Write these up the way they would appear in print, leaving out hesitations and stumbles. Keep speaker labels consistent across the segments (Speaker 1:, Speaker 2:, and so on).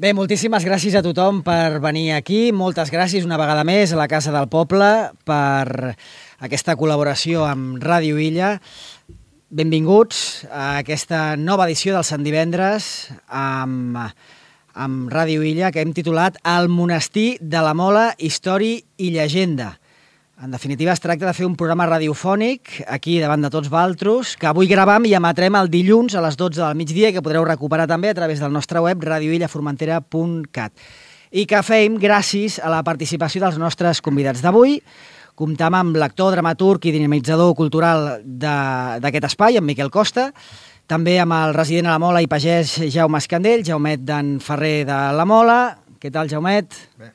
Speaker 1: Bé, moltíssimes gràcies a tothom per venir aquí. Moltes gràcies una vegada més a la Casa del Poble per aquesta col·laboració amb Ràdio Illa. Benvinguts a aquesta nova edició del Sant Divendres amb Ràdio Illa que hem titulat El monestir de la Mola, història i llegenda. En definitiva, es tracta de fer un programa radiofònic aquí davant de tots vosaltres, que avui gravam i emetrem el dilluns a les 12 del migdia i que podreu recuperar també a través del nostre web radioillaformentera.cat. I que fem gràcies a la participació dels nostres convidats d'avui. Comptam amb l'actor, dramaturg i dinamitzador cultural d'aquest espai, en Miquel Costa, també amb el resident a la Mola i pagès Jaume Escandell, Jaumet d'en Ferrer de la Mola. Què tal, Jaumet?
Speaker 2: Bé.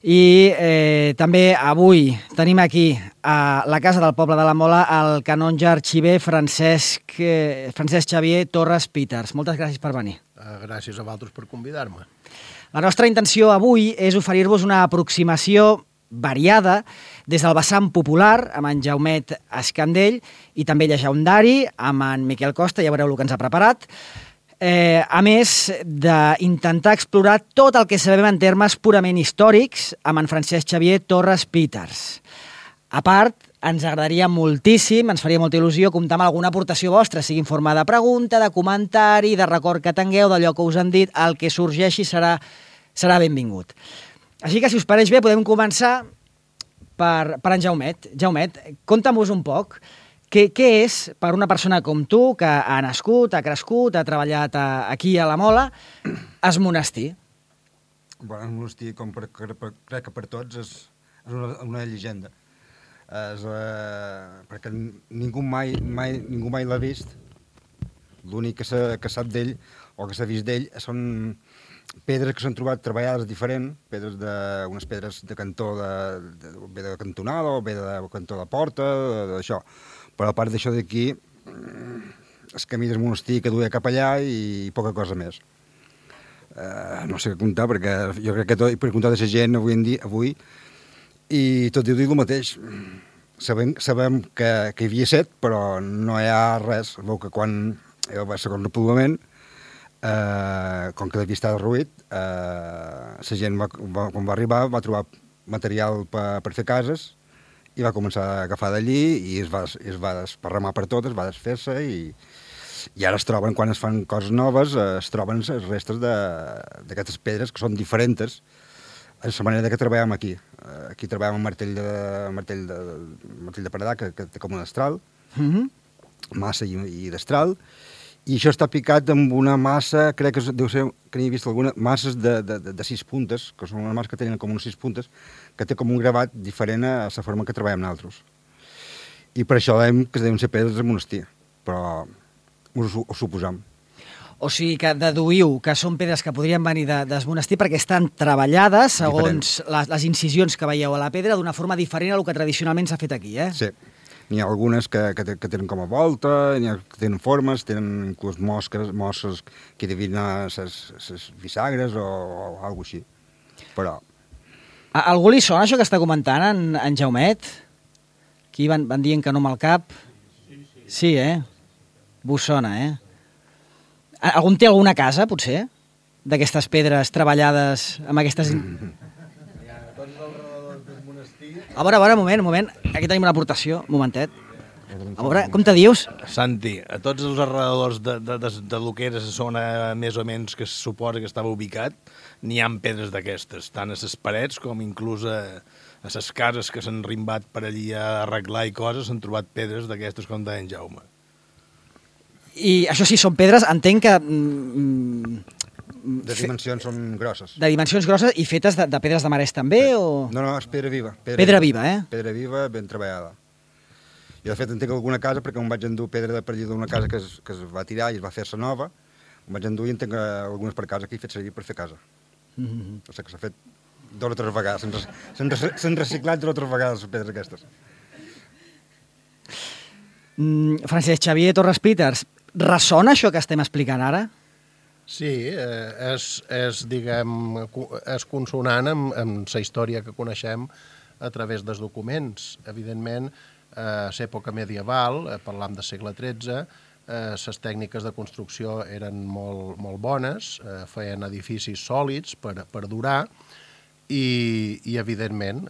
Speaker 1: I també avui tenim aquí a la Casa del Poble de la Mola el canonge arxiver Francesc Xavier Torres Peters. Moltes gràcies per venir.
Speaker 2: Gràcies a vosaltres per convidar-me.
Speaker 1: La nostra intenció avui és oferir-vos una aproximació variada des del vessant popular amb en Jaumet Escandell i també llegendari amb en Miquel Costa, ja veureu el que ens ha preparat. A més d'intentar explorar tot el que sabem en termes purament històrics amb en Francesc Xavier Torres Peters. A part, ens agradaria moltíssim, ens faria molta il·lusió comptar amb alguna aportació vostra, sigui en forma de pregunta, de comentari, de record que tingueu, d'allò que us han dit, el que sorgeixi serà benvingut. Així que, si us pareix bé, podem començar per en Jaumet. Jaumet, conta'm-vos un poc. Què és, per una persona com tu, que ha nascut, ha crescut, ha treballat aquí a la Mola, el monestir?
Speaker 3: Bueno, el monestir, crec que per tots, és una llegenda. Perquè ningú mai l'ha vist. L'únic que sap d'ell, o que s'ha vist d'ell, són pedres que s'han trobat treballades diferent, unes pedres de cantó, bé de cantonada, o bé de cantó de porta, d'això. Però a part d'això d'aquí, el camí del monestir que duia cap allà i poca cosa més. No sé què contar, perquè jo crec que per contar de la gent avui, i tot diu el mateix. Sabem que hi havia set, però no hi ha res. Veu que quan hi va ser el repoblament, com que devia estar derruït, la gent, quan va arribar, va trobar material per fer cases, i va començar a agafar d'allí i es va desparramar per tot, es va desfer-se i ara es troben, quan es fan coses noves, es troben les restes d'aquestes pedres que són diferents a la manera que treballem aquí. Aquí treballem amb martell de paredar, que té com un destral, massa i destral, i això està picat amb una massa, crec que deu ser, que n'hi he vist alguna, masses de 6 puntes, que són una massa que tenen com uns 6 puntes, que té com un gravat diferent a la forma que treballem nosaltres. I per això dèiem que deuen ser pedres del monestir, però ho suposam.
Speaker 1: O sigui que deduïu que són pedres que podrien venir del monestir perquè estan treballades, segons les incisions que veieu a la pedra, d'una forma diferent a el que tradicionalment s'ha fet aquí, eh?
Speaker 3: Sí. N'hi ha algunes que tenen com a volta, n'hi ha que tenen formes, tenen inclús mosses que devien anar les bisagres o alguna cosa així. Però...
Speaker 1: A algú li sona això que està comentant en Jaumet? Aquí van dient que no amb el cap. Sí, Vos sona, Algun té alguna casa, potser? D'aquestes pedres treballades amb aquestes... A veure, un moment. Aquí tenim una aportació, un momentet. A veure, com te dius?
Speaker 2: Santi, a tots els arredadors de lo que era la zona més o menys que se suposa que estava ubicat, n'hi ha pedres d'aquestes, tant a les parets com inclús a les cases que s'han rimbat per allí a arreglar i coses, s'han trobat pedres d'aquestes com deia en Jaume.
Speaker 1: I això sí, són pedres, entenc que...
Speaker 3: De dimensions són grosses.
Speaker 1: De dimensions grosses i fetes de pedres de marès també, o...?
Speaker 3: No, és pedra viva.
Speaker 1: Pedra viva,
Speaker 3: Pedra viva, ben treballada. Jo, de fet, entenc alguna casa, perquè em vaig endur pedra de per allà d'una casa que es va tirar i es va fer-se nova, em vaig endur i entenc algunes per casa que he fet servir per fer casa. O sigui que s'ha fet 2 o 3 vegades. S'han reciclat 2 o 3 vegades les pedres aquestes.
Speaker 1: Francesc Xavier Torres Peters, ressona això que estem explicant ara?
Speaker 2: Sí, és consonant amb la història que coneixem a través dels documents. Evidentment, a l'època medieval, parlam del segle XIII,
Speaker 4: les tècniques de construcció eren molt bones, feien edificis sòlids per durar, i evidentment,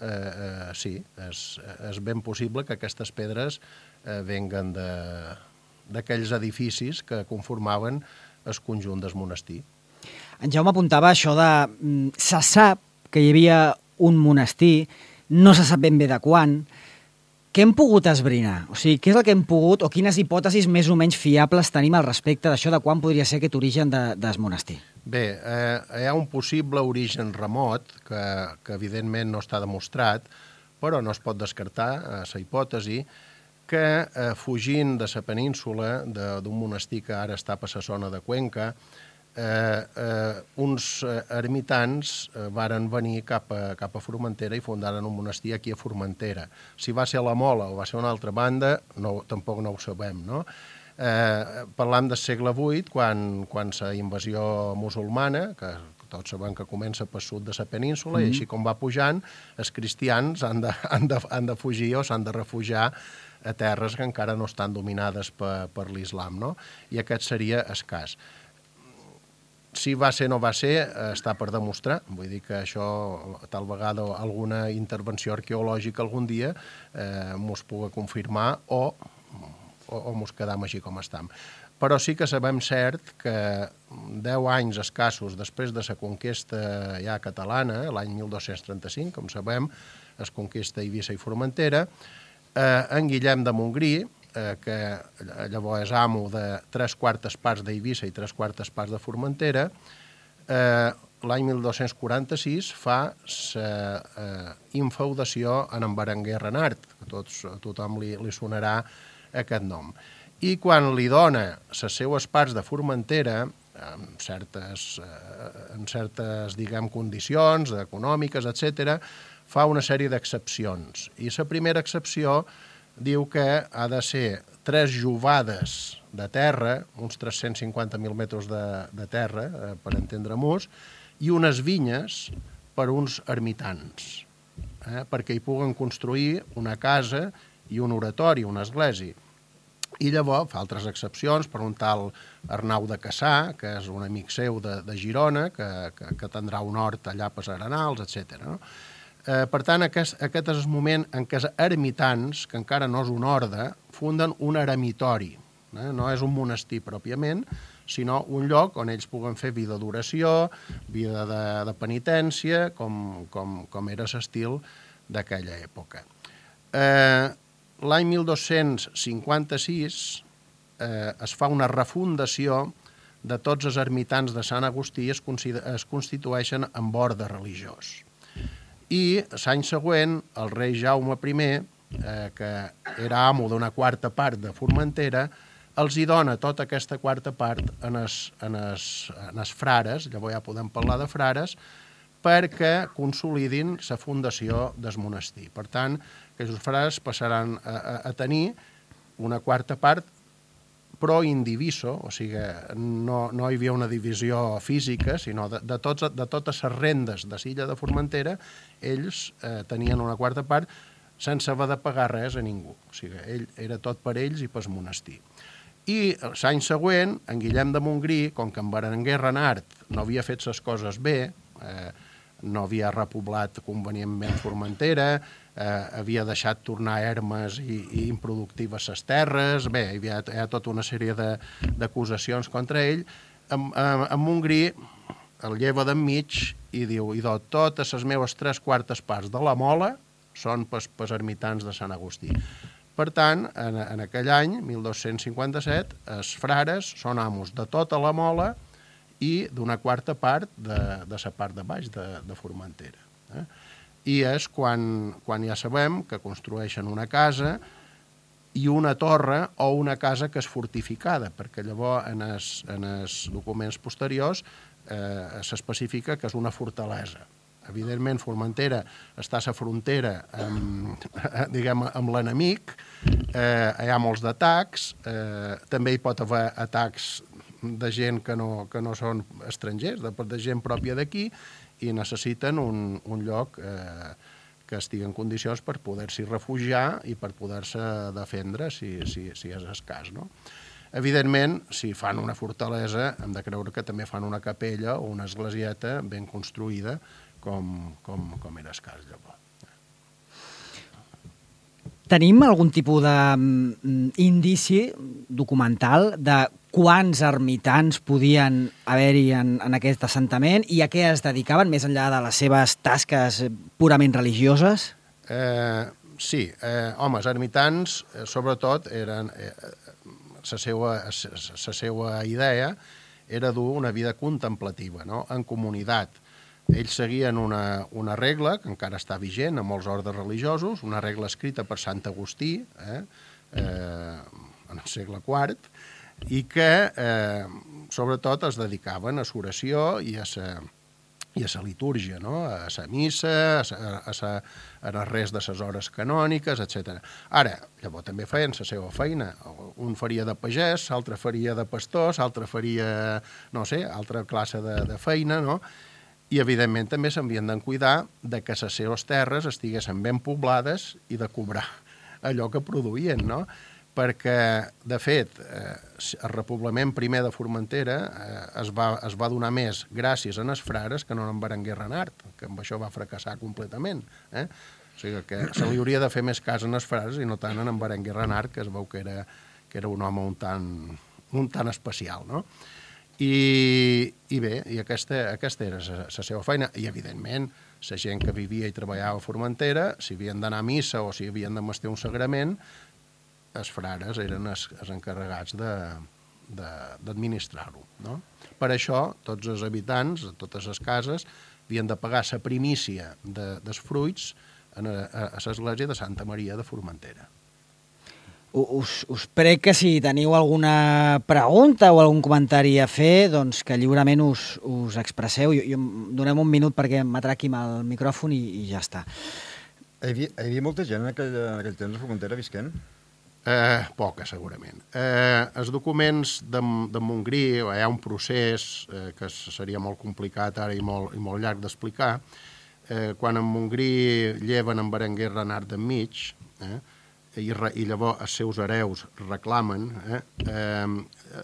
Speaker 4: sí, és ben possible que aquestes pedres venguen d'aquells edificis que conformaven el conjunt del monestir.
Speaker 1: En Jaume apuntava això de... Se sap que hi havia un monestir, no se sap ben bé de quan. Què hem pogut esbrinar? O sigui, què és el que hem pogut, o quines hipòtesis més o menys fiables tenim al respecte d'això de quan podria ser aquest origen del monestir?
Speaker 4: Bé, hi ha un possible origen remot, que evidentment no està demostrat, però no es pot descartar la hipòtesi que fugint de la península, d'un monestir que ara està per la zona de Cuenca, uns ermitans varen venir cap a Formentera i fundaren un monestir aquí a Formentera. Si va ser a la Mola o va ser a una altra banda, tampoc no ho sabem, no? Parlam del segle VIII, quan la invasió musulmana, que tots sabem que comença pel sud de la península, i així com va pujant, els cristians han de fugir o s'han de refugiar a terres que encara no estan dominades per l'islam, no? I aquest seria el cas. Si va ser o no va ser, està per demostrar. Vull dir que això, tal vegada alguna intervenció arqueològica algun dia mos pugui confirmar o mos quedam així com estem. Però sí que sabem cert que 10 anys escassos després de la conquesta ja catalana, l'any 1235, com sabem, es conquista Eivissa i Formentera, en Guillem de Montgrí, que llavors és amo de 3/4 parts d'Eivissa i 3/4 parts de Formentera, l'any 1246 fa la infeudació en Berenguer Renart, que a tothom li sonarà aquest nom. I quan li dona les seues parts de Formentera, en certes diguem, condicions econòmiques, etc., fa una sèrie d'excepcions. I la primera excepció diu que ha de ser 3 jovades de terra, uns 350.000 metres de terra, per entendre-nos, i unes vinyes per uns ermitans, perquè hi puguen construir una casa i un oratori, una església. I llavors fa altres excepcions per un tal Arnau de Cassà, que és un amic seu de Girona, que tindrà un hort allà per Arenals, etc. No? Per tant, aquest és el moment en què els ermitans, que encara no és un orde, funden un eremitori. No és un monestir pròpiament, sinó un lloc on ells puguen fer vida d'oració, vida de penitència, com era l'estil d'aquella època. L'any 1256 es fa una refundació de tots els ermitans de Sant Agustí, es constitueixen en orde religiós. I l'any següent, el rei Jaume I, que era amo d'una 4/4 part de Formentera, els hi dona tota aquesta 4/4 part en els frares, llavors ja podem parlar de frares, perquè consolidin la fundació del monestir. Per tant, aquests frares passaran a tenir una 4/4 part pro indiviso, o sigui, no hi havia una divisió física, sinó de totes les rendes de l'illa de Formentera, ells tenien una 4/4 part sense haver de pagar res a ningú. O sigui, era tot per ells i pel monestir. I l'any següent, en Guillem de Montgrí, com que en Berenguer Renart no havia fet les coses bé, no havia repoblat convenientment Formentera, havia deixat tornar ermes i improductives les terres, bé, hi ha tota una sèrie d'acusacions contra ell. En Montgrí el lleva d'enmig i diu, totes les meves 3/4 parts de la Mola són pels ermitans de Sant Agustí. Per tant, en aquell any, 1257, els frares són amos de tota la Mola i d'una 4/4 part de la part de baix de Formentera. I és quan ja sabem que construeixen una casa i una torre o una casa que és fortificada, perquè llavors en els documents posteriors s'especifica que és una fortalesa. Evidentment, Formentera està a la frontera amb l'enemic, hi ha molts d'atacs, també hi pot haver atacs de gent que no són estrangers, de gent pròpia d'aquí, i necessiten un lloc que estigui en condicions per poder-s'hi refugiar i per poder-se defendre, si és el cas. No? Evidentment, si fan una fortalesa, hem de creure que també fan una capella o una esglésieta ben construïda, com era escàs llavors.
Speaker 1: Tenim algun tipus d'indici documental de quants ermitans podien haver-hi en aquest assentament i a què es dedicaven, més enllà de les seves tasques purament religioses?
Speaker 4: Sí, home, els ermitans, sobretot, eren... La seva idea era dur una vida contemplativa, no? En comunitat. Ells seguien una regla, que encara està vigent en molts ordes religiosos, una regla escrita per Sant Agustí, en el segle IV, i que, sobretot, es dedicaven a l'oració i a la litúrgia, no? A la missa, a les res de les hores canòniques, etc. Ara, llavors també feien la seva feina. Un faria de pagès, l'altre faria de pastor, l'altre faria, no sé, altra classe de feina, no? I, evidentment, també s'havien de cuidar de que les seves terres estiguessin ben poblades i de cobrar allò que produïen, no? Perquè, de fet, el repoblament primer de Formentera es va donar més gràcies a els frares que no en Berenguer Renart, que amb això va fracassar completament. O sigui que se li hauria de fer més cas en els frares i no tant en Berenguer Renart, que es veu que era un home un tant especial, no? I bé, i aquesta era la seva feina. I, evidentment, la gent que vivia i treballava a Formentera, si havien d'anar a missa o si havien de mestir un sagrament, els frares eren els encarregats d'administrar-ho, no? Per això, tots els habitants de totes les cases havien de pagar la primícia dels fruits a l'església de Santa Maria de Formentera.
Speaker 1: Us prec que si teniu alguna pregunta o algun comentari a fer, doncs que lliurement us expresseu. Donem un minut perquè m'atraqui amb el micròfon i ja està.
Speaker 3: Hi havia molta gent en aquell temps a Formentera visquent?
Speaker 4: Poca, segurament. Els documents de Montgrí, hi ha un procés que seria molt complicat ara i molt llarg d'explicar. Quan en Montgrí lleven en Berenguer Renart d'enmig, i llavors els seus hereus reclamen,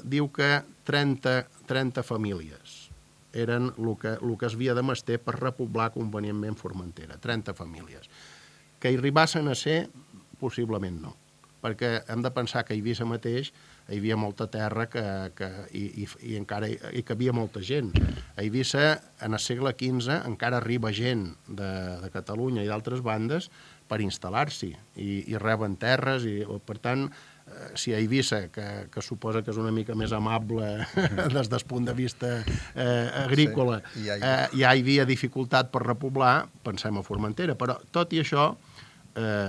Speaker 4: diu que 30 famílies eren el que es havia de mester per repoblar convenientment Formentera, 30 famílies. Que hi arribassen a ser, possiblement no, perquè hem de pensar que a Eivissa mateix hi havia molta terra i encara hi cabia molta gent. A Eivissa, en el segle XV, encara arriba gent de Catalunya i d'altres bandes per instal·lar-s'hi i reben terres. Per tant, si a Eivissa, que suposa que és una mica més amable des del punt de vista agrícola, ja hi havia dificultat per repoblar, pensem a Formentera. Però, tot i això,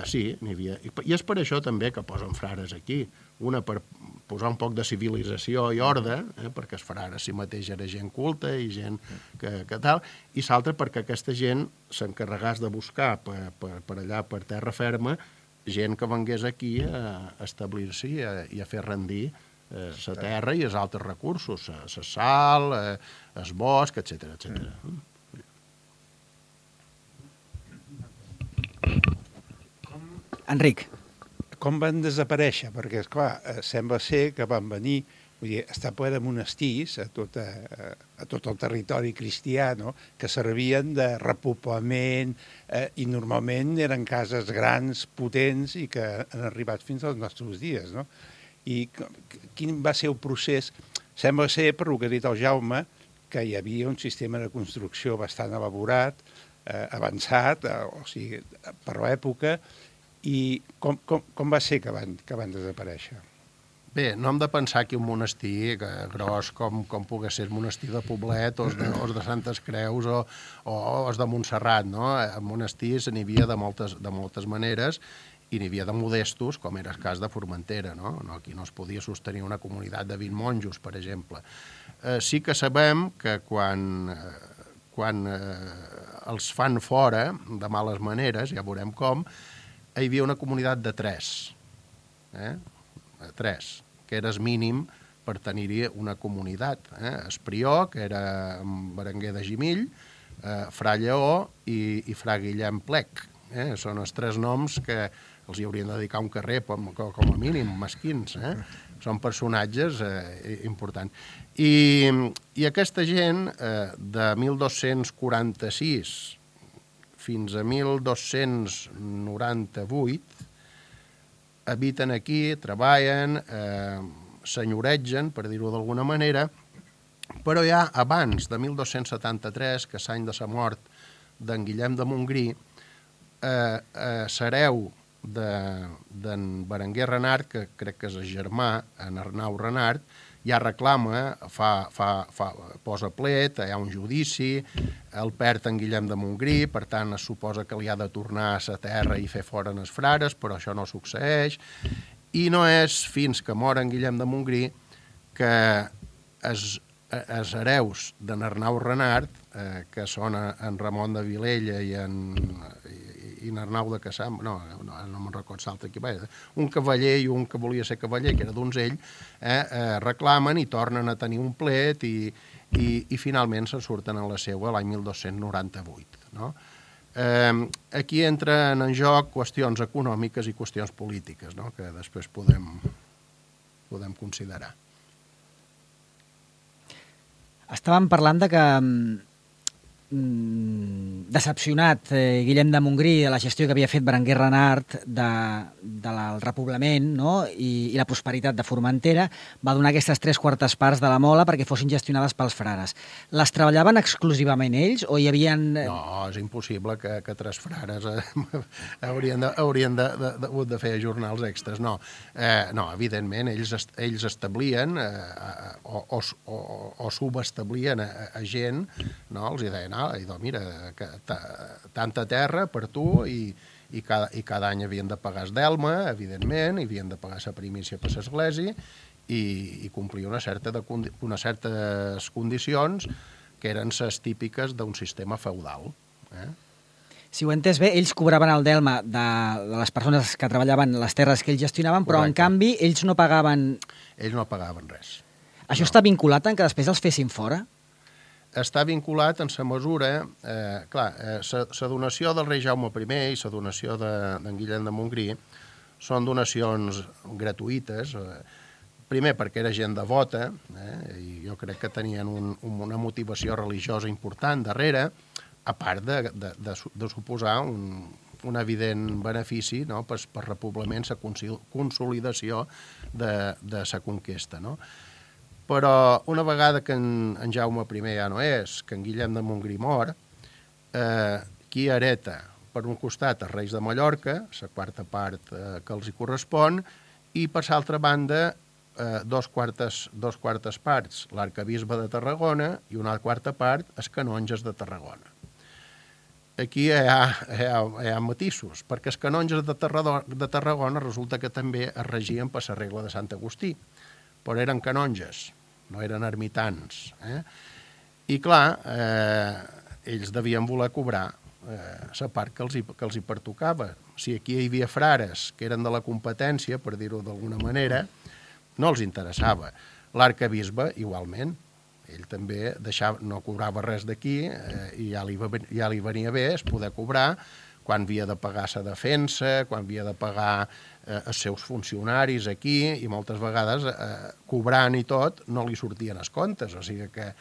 Speaker 4: sí, n'hi havia. I és per això també que posen frares aquí. Una per posar un poc de civilització i ordre, perquè els frares si mateix era gent culta i gent que tal, i l'altra perquè aquesta gent s'encarregàs de buscar per allà, per terra ferma, gent que vengués aquí a establir-s'hi i a fer rendir la terra i els altres recursos, la sal, el bosc, etc.
Speaker 1: Enric.
Speaker 5: Com van desaparèixer? Perquè, esclar, sembla ser que van venir, vull dir, està ple de monestirs a tot el territori cristià, no?, que servien de repoblament i normalment eren cases grans, potents i que han arribat fins als nostres dies, no? I quin va ser el procés? Sembla ser, per el que ha dit el Jaume, que hi havia un sistema de construcció bastant elaborat, avançat, o sigui, per l'època. I com va ser que van desaparèixer?
Speaker 4: Bé, no hem de pensar que un monestir gros com pogués ser el monestir de Poblet o els de Santes Creus o els de Montserrat, no? Monestirs n'hi havia de moltes maneres i n'hi havia de modestos, com era el cas de Formentera, no? Aquí no es podia sostenir una comunitat de 20 monjos, per exemple. Sí que sabem que quan els fan fora de males maneres, ja veurem com, hi havia una comunitat de 3, que era el mínim per tenir-hi una comunitat. El prior, que era Berenguer de Gimill, Fra Lleó i Fra Guillem Plec. Són els 3 noms que els hi haurien de dedicar un carrer, com a mínim, mesquins. són personatges importants. I aquesta gent, de 1246 fins a 1298, habiten aquí, treballen, senyoregen, per dir-ho d'alguna manera, però ja abans de 1273, que és l'any de la mort d'en Guillem de Montgrí, l'hereu d'en Berenguer Renart, que crec que és el germà, en Arnau Renart, ja reclama, posa plet, hi ha un judici, el perd en Guillem de Montgrí, per tant es suposa que li ha de tornar a la terra i fer fora els frares, però això no succeeix, i no és fins que mor en Guillem de Montgrí que els hereus d'en Arnau Renart, que són en Ramon de Vilella i en Arnau de Cassam, no me'n recordo l'altre aquí, un cavaller i un que volia ser cavaller, que era donzell, reclamen i tornen a tenir un plet i finalment se surten en la seua l'any 1298. No? Aquí entren en joc qüestions econòmiques i qüestions polítiques, no? Que després podem considerar.
Speaker 1: Estàvem parlant de que decepcionat Guillem de Montgrí de la gestió que havia fet Berenguer Renart del repoblament, no? I la prosperitat de Formentera, va donar aquestes 3/4 parts de la mola perquè fossin gestionades pels frares. Les treballaven exclusivament ells o hi havia...
Speaker 4: No, és impossible que 3 frares haurien de fer jornals extras. No, evidentment, ells establien o subestablien a gent, no? Els deien, mira, tanta terra per tu i cada any havien de pagar el delma, evidentment, i havien de pagar la primícia per l'església i complir unes certes condicions que eren les típiques d'un sistema feudal.
Speaker 1: Si ho he entès bé, ells cobraven el delma de les persones que treballaven les terres que ells gestionaven, però en canvi ells no pagaven...
Speaker 4: Ells no pagaven res.
Speaker 1: Això està vinculat en que després els fessin fora?
Speaker 4: Està vinculat en la mesura... la donació del rei Jaume I i la donació d'en Guillem de Montgrí són donacions gratuïtes, primer perquè era gent devota, i jo crec que tenien una motivació religiosa important darrere, a part de suposar un evident benefici, no? per repoblament, la consolidació de la conquesta, no? Però una vegada que en Jaume I ja no és, que en Guillem de Montgrí mor, qui hereta per un costat els reis de Mallorca, la quarta part que els hi correspon, i per l'altra banda 2 quartes parts l'arcabisbe de Tarragona i una quarta part els canonges de Tarragona. Aquí hi ha matisos, perquè els canonges de Tarragona resulta que també es regien per la regla de Sant Agustí, però eren canonges, no eren ermitans. I clar, ells devien voler cobrar la part que els hi pertocava. Si aquí hi havia frares que eren de la competència, per dir-ho d'alguna manera, no els interessava. L'arcabisbe, igualment, ell també no cobrava res d'aquí i ja li venia bé es poder cobrar quan havia de pagar la defensa, quan havia de pagar els seus funcionaris aquí, i moltes vegades cobrant i tot no li sortien els comptes, o sigui que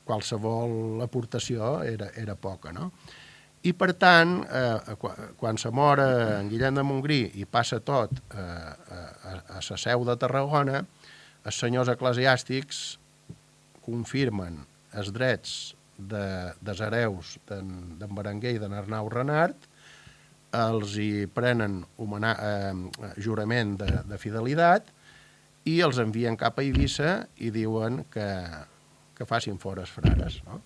Speaker 4: qualsevol aportació era poca, no? I per tant, quan se mor en Guillem de Montgrí i passa tot a la seu de Tarragona, els senyors eclesiàstics confirmen els drets dels hereus d'en Berenguer i d'en Arnau Renart, els hi prenen jurament de fidelitat i els envien cap a Eivissa i diuen que facin fora els frares, no?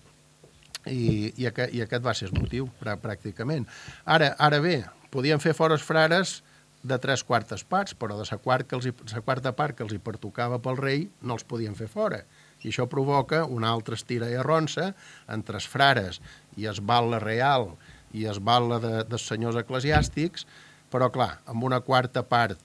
Speaker 4: I aquest va ser el motiu, pràcticament. Ara bé, podien fer fora els frares de 3/4 parts, però de la quarta part que els hi pertocava pel rei no els podien fer fora. I això provoca una altra estira i arronsa entre els frares i el batle real i el batle dels senyors eclesiàstics, però clar, amb una quarta part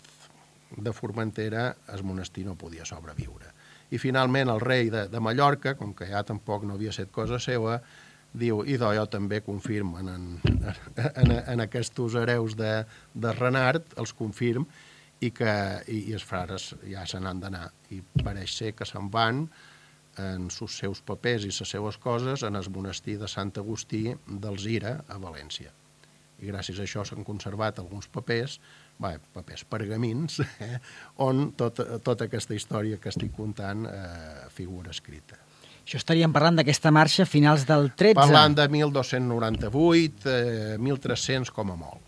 Speaker 4: de Formentera el monestir no podia sobreviure. I finalment el rei de Mallorca, com que ja tampoc no havia set cosa seva, diu, idò jo també confirmen en aquests hereus de Renart, els confirm, i els frares ja se n'han d'anar. I pareix ser que se'n van en els seus papers i les seues coses en el monestir de Sant Agustí d'Alzira, a València. I gràcies a això s'han conservat alguns papers, pergamins, on tota aquesta història que estic contant figura escrita.
Speaker 1: Això estaríem parlant d'aquesta marxa a finals del 13.
Speaker 4: Parlant de 1298, 1300 com a molt.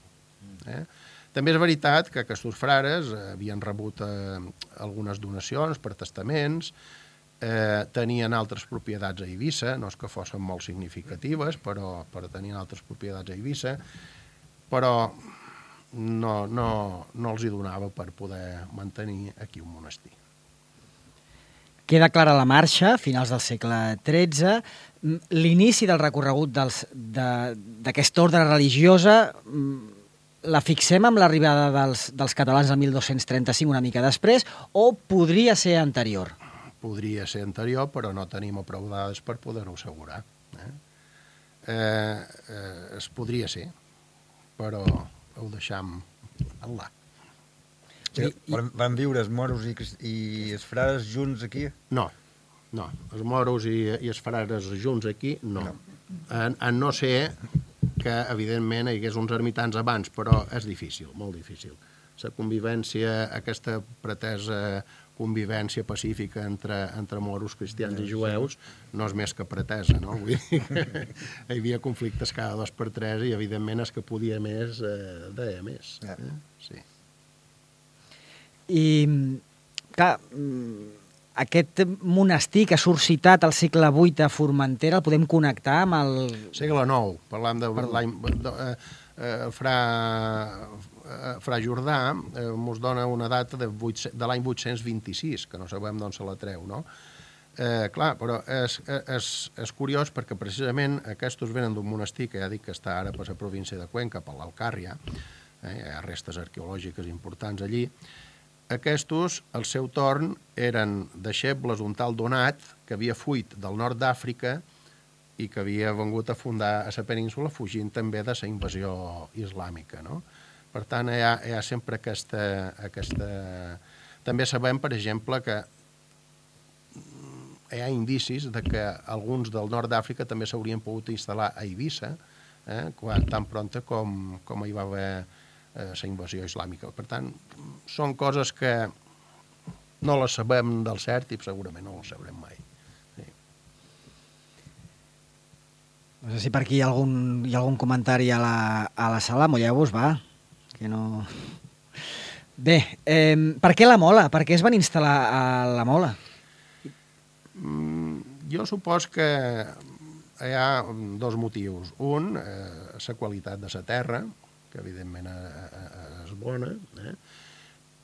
Speaker 4: També és veritat que aquests frares havien rebut algunes donacions per testaments, tenien altres propietats a Eivissa, no és que fossin molt significatives, però tenien altres propietats a Eivissa, però no els hi donava per poder mantenir aquí un monestir.
Speaker 1: Queda clara la marxa, finals del segle XIII. L'inici del recorregut d'aquesta ordre religiosa la fixem amb l'arribada dels catalans el 1235, una mica després, o podria ser anterior?
Speaker 4: Podria ser anterior, però no tenim prou dades per poder-ho assegurar. Es podria ser, però ho deixam en là.
Speaker 3: Van viure els moros i els frares junts aquí?
Speaker 4: No. Els moros i els frares junts aquí, no. A no ser que, evidentment, hi hagués uns ermitans abans, però és difícil, molt difícil. La convivència, aquesta pretesa convivència pacífica entre moros, cristians i jueus, no és més que pretesa, no? Vull dir que hi havia conflictes cada 2 per 3 i, evidentment, és que podia més, deia més. Sí.
Speaker 1: I, clar, aquest monestir que ha suscitat al segle VIII a Formentera, el podem connectar amb el...
Speaker 4: Segle IX, parlant de l'any... Fra Jordà ens dona una data de l'any 826, que no sabem d'on se la treu, no? Clar, però és curiós perquè precisament aquests venen d'un monestir que ja dic que està ara per la província de Cuenca, per l'Alcàrria, hi ha restes arqueològiques importants allí. Aquests, al seu torn, eren deixebles d'un tal Donat, que havia fuit del nord d'Àfrica i que havia vengut a fundar a la península fugint també de la invasió islàmica, no? Per tant, hi ha sempre aquesta... També sabem, per exemple, que hi ha indicis de que alguns del nord d'Àfrica també s'haurien pogut instal·lar a Eivissa, tan pronta com hi va haver la invasió islàmica. Per tant, són coses que no les sabem del cert i segurament no les sabrem mai. Sí.
Speaker 1: No sé si per aquí hi ha algun comentari a la sala. Molleu-vos, va. Que no... Bé, per què la Mola? Per què es van instal·lar a la Mola?
Speaker 4: Jo supos que hi ha 2 motius. Un, la qualitat de la terra, que evidentment és bona,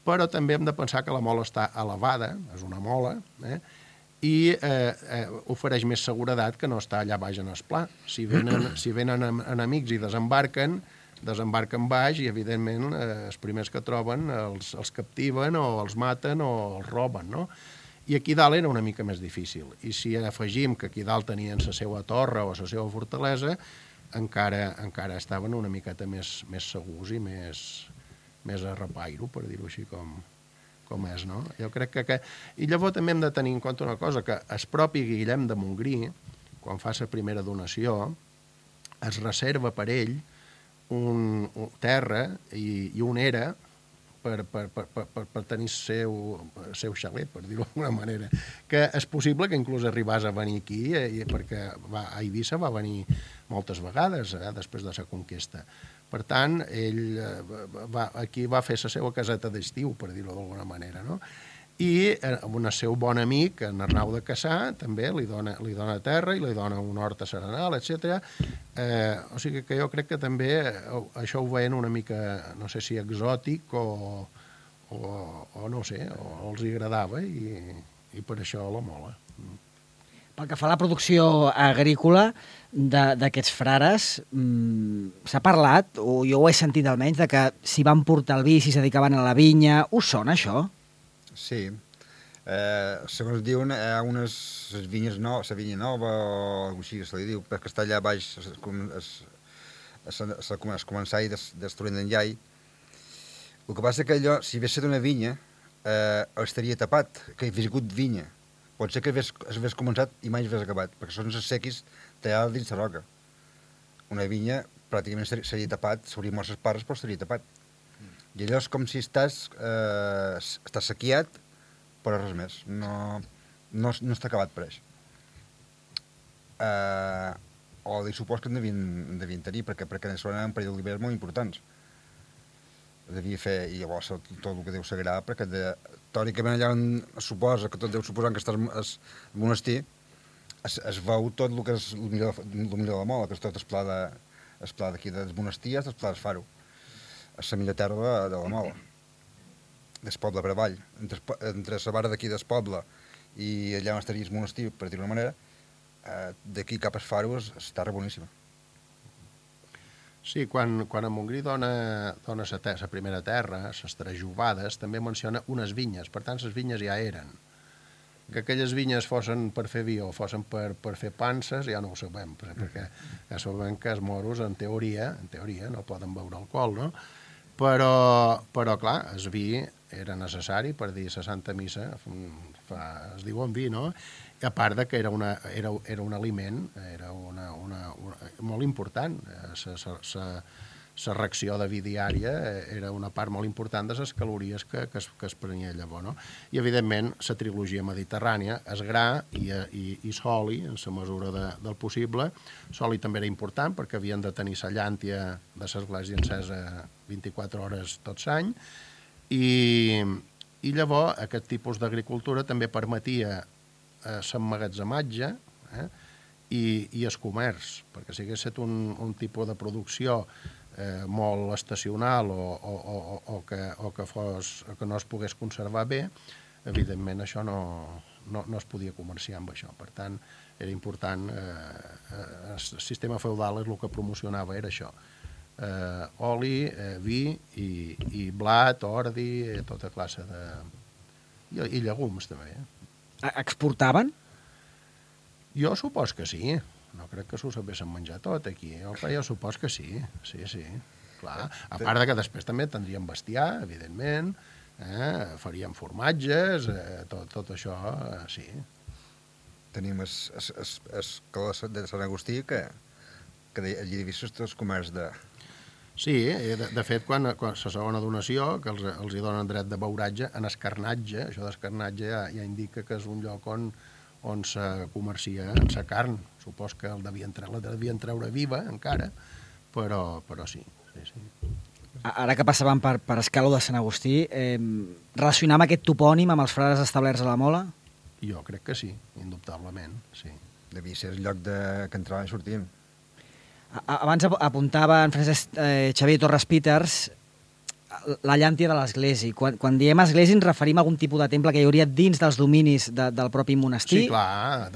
Speaker 4: però també hem de pensar que la mola està elevada, és una mola, i ofereix més seguretat que no està allà baix en el pla. Si venen enemics i desembarquen baix i, evidentment, els primers que troben els captiven o els maten o els roben, no? I aquí dalt era una mica més difícil. I si afegim que aquí dalt tenien la seva torre o la seva fortalesa, encara estaven una miqueta més segurs i més a repairo, per dir-ho així com és, no? Jo crec que... I llavors també hem de tenir en compte una cosa, que el propi Guillem de Montgrí, quan fa la primera donació, es reserva per ell terra i un era per tenir el seu xalet, per dir-ho d'alguna manera. Que és possible que inclús arribés a venir aquí, perquè a Eivissa va venir moltes vegades després de la conquesta. Per tant, ell aquí va fer la seva caseta d'estiu, per dir-ho d'alguna manera, no? I un seu bon amic, en Arnau de Cassà, també li dona terra i li dona un hort a serenal, etc. O sigui que jo crec que també això ho veien una mica, no sé si exòtic o no sé, o els agradava i per això la mola.
Speaker 1: Pel que fa a la producció agrícola d'aquests frares, s'ha parlat, o jo ho he sentit almenys, de que s'hi van portar el vi, si es dedicaven a la vinya. Us sona això?
Speaker 3: Sí. Segons diuen, hi ha unes vinyes noves, la vinya nova o alguna cosa així, se li diu, perquè està allà baix, es començar i destruint d'en llai. El que passa que allò, si hagués estat una vinya, estaria tapat, que hi hagués hagut vinya. Pot ser que hagués començat i mai hagués acabat, perquè són les sequis tallades dins la roca. Una vinya pràcticament seria tapat, s'hauria mort les parts, però estaria tapat. I allò és com si estàs sequiat, però res més. No està acabat per això. Oli supos que en devien tenir, perquè són un parell d'oliveres molt importants. Devia fer, i llavors tot el que deu sagrar, perquè teòricament allà on es suposa, que tot deu suposar que està el monestir, es veu tot el que és el millor de la Mola, que és tot el pla d'aquí del monestir, el pla del Faro. És la millor terra de la Mola, del poble per avall. Entre la vara d'aquí del poble i allà on estaria el monestir, per dir-ho d'una manera, d'aquí cap al Faro és terra boníssima.
Speaker 4: Sí, quan en Montgrí dona la primera terra, les trajubades, també menciona unes vinyes, per tant, les vinyes ja eren. Que aquelles vinyes fossin per fer vi o fossin per fer panses, ja no ho sabem, perquè ja sabem que els moros, en teoria, no poden beure alcohol, no? Però clar, el vi era necessari per dir la Santa Missa, es diu en vi, no? I a part que era un aliment, era molt important, la reacció de vi diària era una part molt important de les calories que es prenia llavors, no? I, evidentment, la trilogia mediterrània, el gra i l'oli, en la mesura del possible. L'oli també era important perquè havien de tenir la llàntia de l'església encesa 24 hores tot l'any, i llavors aquest tipus d'agricultura també permetia l'emmagatzematge i el comerç, perquè si hagués estat un tipus de producció molt estacional o que no es pogués conservar bé, evidentment això no es podia comerciar amb això. Per tant, era important, el sistema feudal és el que promocionava, era això. Oli, vi i blat, ordi, tota classe de... i llegums també.
Speaker 1: Exportaven?
Speaker 4: Jo supos que sí. No crec que s'ho sabessin menjar tot aquí, però jo supos que sí, clar. A part que després també tindríem bestiar, evidentment, faríem formatges, tot això, sí.
Speaker 3: Tenim el calor de Sant Agustí, que allí he vist els comerç de...
Speaker 4: Sí, de fet, quan la segona donació, que els hi donen dret de beuratge, en escarnatge, això d'escarnatge ja indica que és un lloc on se comercia en la carn. Supos que la devien treure viva encara, però sí.
Speaker 1: Ara que passàvem per Escalo de Sant Agustí, relacionam aquest topònim amb els frares establerts a la Mola?
Speaker 4: Jo crec que sí, indubtablement, sí.
Speaker 3: Devia ser el lloc que entraven i sortien.
Speaker 1: Abans apuntava en Francesc Xavier Torres Peters la llàntia de l'església. Quan diem església ens referim a algun tipus de temple que hi hauria dins dels dominis del propi monestir?
Speaker 4: Sí, clar,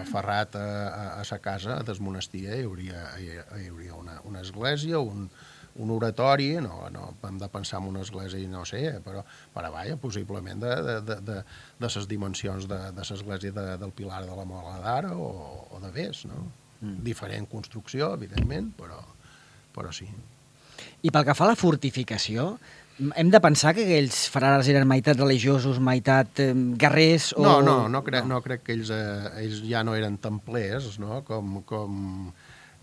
Speaker 4: aferrat a sa casa del monestir hi hauria una església, un oratori, no hem de pensar en una església, no sé, però vaja, possiblement de les dimensions de l'església del Pilar de la Mola d'ara o de Bes, no? Diferent construcció, evidentment, però sí.
Speaker 1: I pel que fa a la fortificació, hem de pensar que aquells frares eren meitat religiosos, meitat guerrers?
Speaker 4: No crec que ells ja no eren templers, no? Com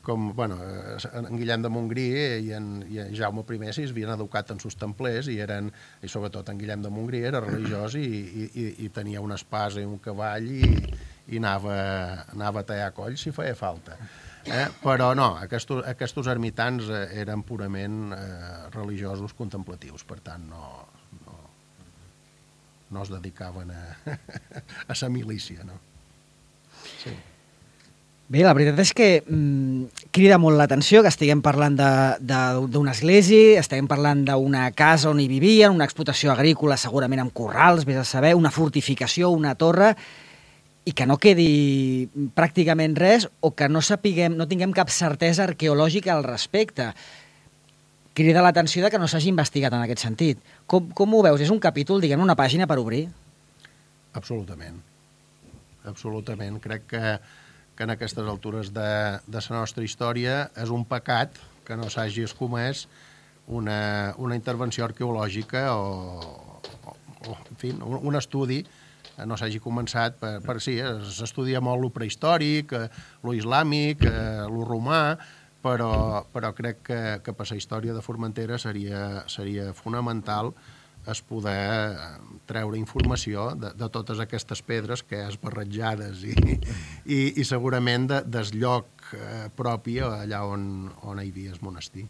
Speaker 4: en Guillem de Montgrí i en Jaume I s'havien educat en sus templers i sobretot en Guillem de Montgrí era religiós i tenia una espasa i un cavall i anava a tallar colls si feia falta. Però no, aquests ermitans eren purament religiosos contemplatius, per tant no es dedicaven a la milícia, no? Sí.
Speaker 1: Bé, la veritat és que crida molt l'atenció que estiguem parlant d'una església, estiguem parlant d'una casa on hi vivien, una explotació agrícola segurament amb corrals, vés a saber, una fortificació, una torre, i que no quedi pràcticament res o que no tinguem cap certesa arqueològica al respecte. Crida l'atenció que no s'hagi investigat en aquest sentit. Com ho veus? És un capítol, diguem, una pàgina per obrir?
Speaker 4: Absolutament. Absolutament. Crec que en aquestes altures de la nostra història és un pecat que no s'hagi escomès una intervenció arqueològica o en fi, un estudi no s'hagi començat per sí, s'estudia molt lo prehistòric, lo islàmic, lo romà, però crec que per la història de Formentera seria fonamental es poder treure informació de totes aquestes pedres que és barrejades i segurament del lloc propi allà on hi havia el monestir.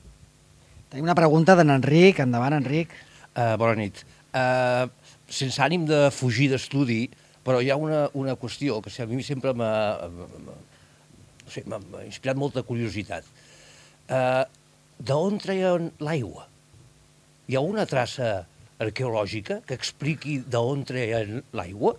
Speaker 1: Tenim una pregunta d'en Enric. Endavant, Enric.
Speaker 6: Bona nit. Sense ànim de fugir d'estudi, però hi ha una qüestió que a mi sempre m'ha inspirat molta curiositat. D'on treien l'aigua? Hi ha una traça arqueològica que expliqui d'on treien l'aigua?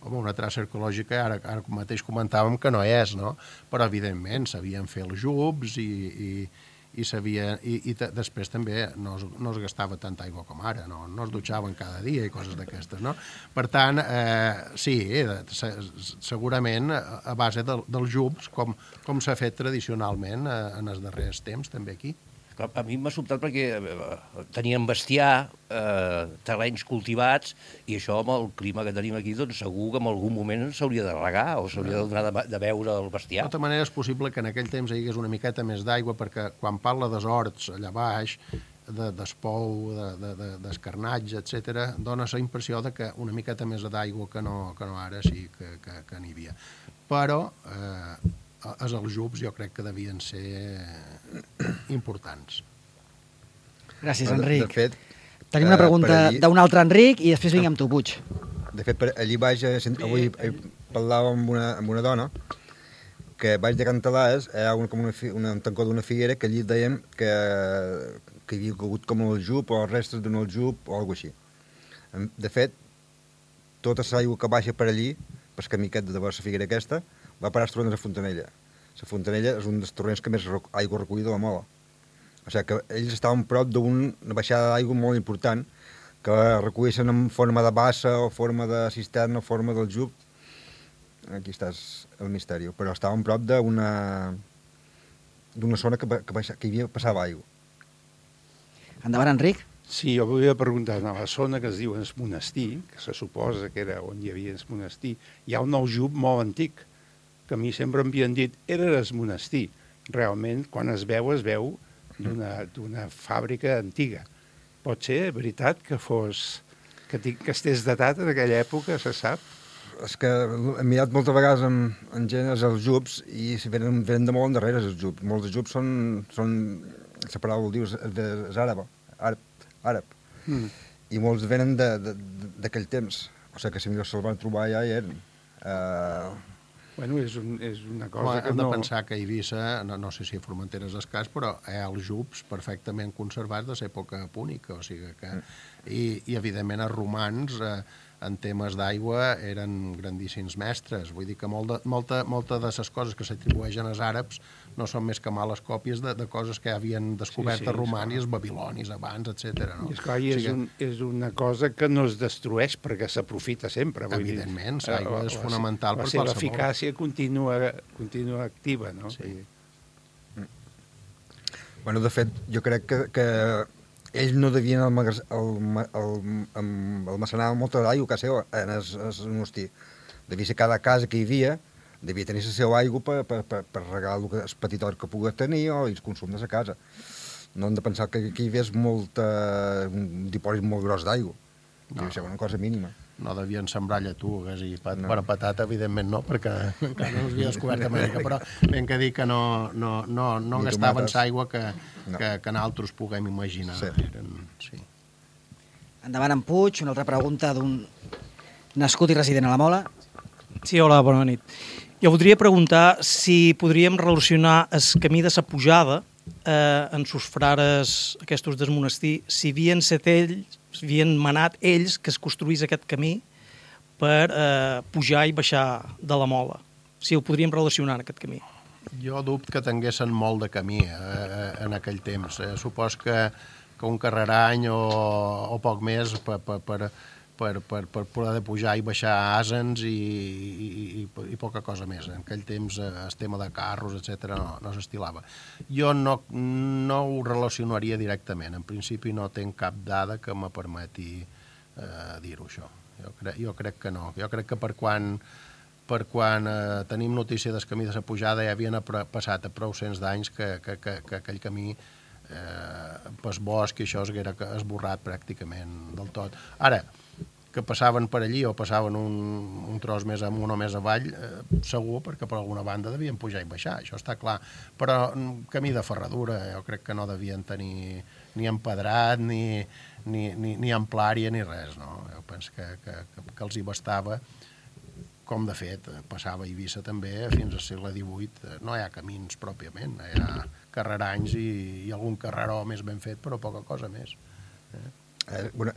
Speaker 4: Home, una traça arqueològica, ara mateix comentàvem que no és, no? Però, evidentment, sabien fer els jubs i després també no es gastava tanta aigua com ara, no es dutxaven cada dia i coses d'aquestes, no? Per tant, sí, segurament a base dels jubs, com s'ha fet tradicionalment en els darrers temps, també aquí.
Speaker 6: A mi m'ha sobtat perquè teníem bestiar, terrenys cultivats, i això amb el clima que tenim aquí, doncs segur que en algun moment s'hauria de regar o s'hauria de donar de beure el bestiar.
Speaker 4: De tota manera és possible que en aquell temps hi hagués una miqueta més d'aigua, perquè quan parla dels horts allà baix, d'espou, d'escarnatge, etc., dona la impressió de que una miqueta més d'aigua que no ara sí que n'hi havia. Però els aljubs jo crec que devien ser importants.
Speaker 1: Gràcies, Enric.
Speaker 3: De fet,
Speaker 1: tenim una pregunta d'un altre Enric i després vinc amb tu, Puig.
Speaker 3: De fet, allí baix, avui parlava amb una dona que baix de Cantalàs hi ha un tancó d'una figuera que allí deien que hi havia hagut com un aljub o restes d'un aljub o alguna així. De fet, tota l'aigua que baixa per allí, pel camí aquest de la figuera aquesta, va parar als torrents de Fontanella. La Fontanella és un dels torrents que més aigua recull de la Mola. O sigui que ells estaven prop d'una baixada d'aigua molt important que recolleixen en forma de bassa o forma de cisterna o forma del jub. Aquí està el misteri. Però estaven prop d'una zona que hi passava aigua.
Speaker 1: Endavant, Enric.
Speaker 5: Sí, jo volia preguntar, a la zona que es diu el monestir, que se suposa que era on hi havia el monestir, hi ha un aljub molt antic, que a mi sempre m'havien dit, era el monestir. Realment, quan es veu d'una fàbrica antiga. Pot ser veritat que estés datat en aquella època, se sap?
Speaker 3: És que he mirat moltes vegades en gent els aljubs i venen de molt endarrere els aljubs. Molts aljubs són la paraula ho dius, és àrab. I molts venen d'aquell temps. O sigui que si se'ls van trobar ja hi eren.
Speaker 5: Bueno, és una cosa que
Speaker 4: hem
Speaker 5: no...
Speaker 4: de pensar que a Eivissa, no sé si a Formentera és escàs, però hi ha els jubs perfectament conservats de l'època púnica, o sigui que... I evidentment, els romans, en temes d'aigua, eren grandíssims mestres. Vull dir que molta de les coses que s'atribueixen als àrabs no són més que males còpies de coses que havien descobert els romans i els babilonis abans, etc.
Speaker 5: I esclar, és una cosa que no es destrueix perquè s'aprofita sempre.
Speaker 4: Evidentment, l'aigua és fonamental per qualsevol.
Speaker 5: La seva eficàcia continua activa, no?
Speaker 4: Sí.
Speaker 3: Bueno, de fet, jo crec que ells no devien almacenar molta d'aigua que seva en el monestir. Devia ser cada casa que hi havia, devia tenir la seva aigua per regar el petit hort que pogués tenir o el consum de la casa. No hem de pensar que aquí hi hagués un dipòsit molt gros d'aigua. Devia ser una cosa mínima.
Speaker 4: No devien sembrar lletugues i per patata, evidentment no, perquè encara no els havia descobert Amèrica, però ben que dir que no gastaven l'aigua que nosaltres puguem imaginar.
Speaker 3: Sí.
Speaker 1: Endavant, en Puig, una altra pregunta d'un nascut i resident a la Mola.
Speaker 7: Sí, hola, bona nit. Jo voldria preguntar si podríem relacionar el camí de la pujada en sus frares aquests del monestir, si havien manat ells que es construís aquest camí per pujar i baixar de la Mola. Si ho podríem relacionar, aquest camí.
Speaker 4: Jo dubto que tinguessin molt de camí en aquell temps. Supos que un carrerany o poc més per poder pujar i baixar asens i poca cosa més. En aquell temps el tema de carros, etc no s'estilava. Jo no ho relacionaria directament. En principi no tinc cap dada que me permeti dir-ho, això. Jo crec que no. Jo crec que per quan tenim notícia del camí de la pujada ja havien passat a prou cents d'anys que aquell camí pel bosc i això s'haguera esborrat pràcticament del tot. Ara, que passaven per allí o passaven un tros més amunt o més avall, segur, perquè per alguna banda devien pujar i baixar, això està clar. Però camí de ferradura, jo crec que no devien tenir ni empedrat, ni amplària, ni res, no? Jo penso que els hi bastava, com de fet passava a Eivissa també fins al segle XVIII. No hi ha camins pròpiament, hi ha carreranys i algun carreró més ben fet, però poca cosa més.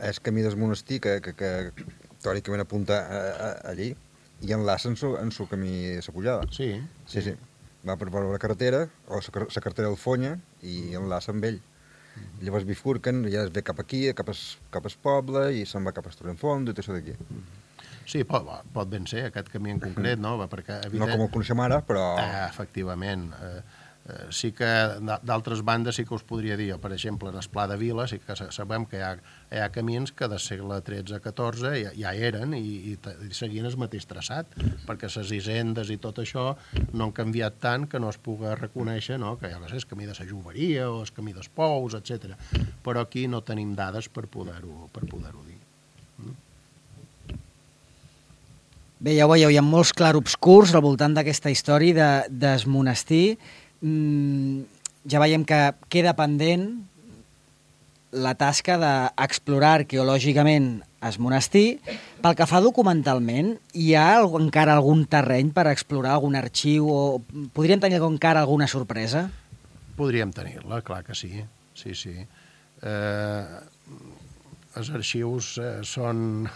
Speaker 3: És camí del monestir que teòricament apunta allí i enlaça en su camí de la pujada.
Speaker 4: Sí.
Speaker 3: Va per la carretera o la carretera del Fonya i enlaça amb ell. Llavors bifurquen, ja es ve cap aquí, cap al poble i se'n va cap a Torrentfondo i tot això d'aquí.
Speaker 4: Sí, pot ben ser, aquest camí en concret, no? Perquè,
Speaker 3: no com el coneixem ara, però...
Speaker 4: Efectivament. Sí que d'altres bandes sí que us podria dir, per exemple, en el Pla de Vila sí que sabem que hi ha camins que del segle XIII-XIV ja eren i seguien el mateix traçat, perquè les hisendes i tot això no han canviat tant que no es pugui reconèixer, no? Que jo què sé, el camí de la Joveria o el camí dels Pous, etc. Però aquí no tenim dades per poder-ho dir.
Speaker 1: Bé, ja ho veieu, hi ha molts clarobscurs al voltant d'aquesta història del monestir. Ja veiem que queda pendent la tasca d'explorar arqueològicament el monestir. Pel que fa documentalment, hi ha encara algun terreny per explorar, algun arxiu, o podríem tenir encara alguna sorpresa?
Speaker 4: Podríem tenir-la, clar que sí. Sí. Els arxius són